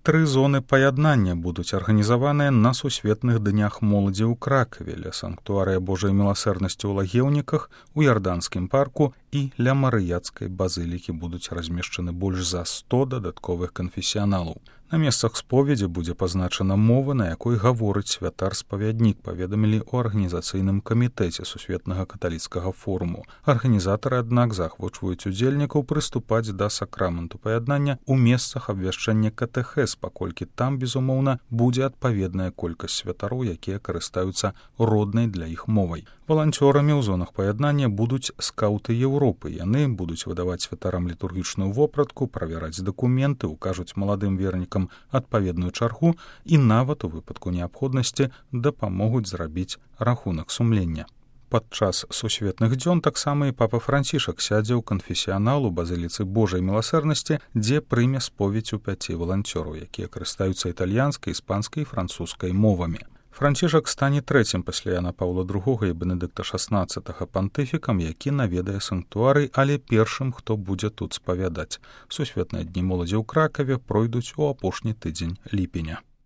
3 зоны паяднання будуць арганізаваныя на сусветных днях моладзі ў Кракаве, ля санктуарыя Божай міласэрнасці ў Лагеўніках, у Ярданскім парку і ля Марыяцкай базылікі будуць размешчаны больш за 100 дадатковых канфесіяналаў. На месцах споведзі будзе пазначана мова, на якой гаворыць святар-спавяднік, паведамілі ў арганізацыйным камітэце Сусветнага каталіцкага форуму. Арганізатары, аднак, заахвочваюць удзельнікаў прыступаць да сакраменту паяднання ў месцах абвяшчэння катэхез, паколькі там, безумоўна, будзе адпаведная колькасць святароў, якія карыстаюцца роднай для іх мовай. Валанцёрамі ў зонах паяднання будуць скаўты Еўропы. Яны будуць выдаваць святарам літургічную вопратку, правяраць дакументы, укажуць маладым вернікам адпаведную чаргу і нават у выпадку неабходнасці дапамогуць зрабіць рахунак сумлення. Падчас сусветных дзён таксама і папа Францішак сядзе ў канфесіянал у базыліцы Божай міласэрнасці, дзе прыме споведзь у 5 валанцёраў, якія карыстаюцца італьянскай, іспанскай і французскай мовамі. Францішак стане 3-м пасля Яна Паўла II і Бенедыкта XVI пантыфікам, які наведае санктуарый, але першым, хто будзе тут спавядаць. Сусветныя дні моладзі ў Кракаве пройдуць у апошні тыдзень ліпеня.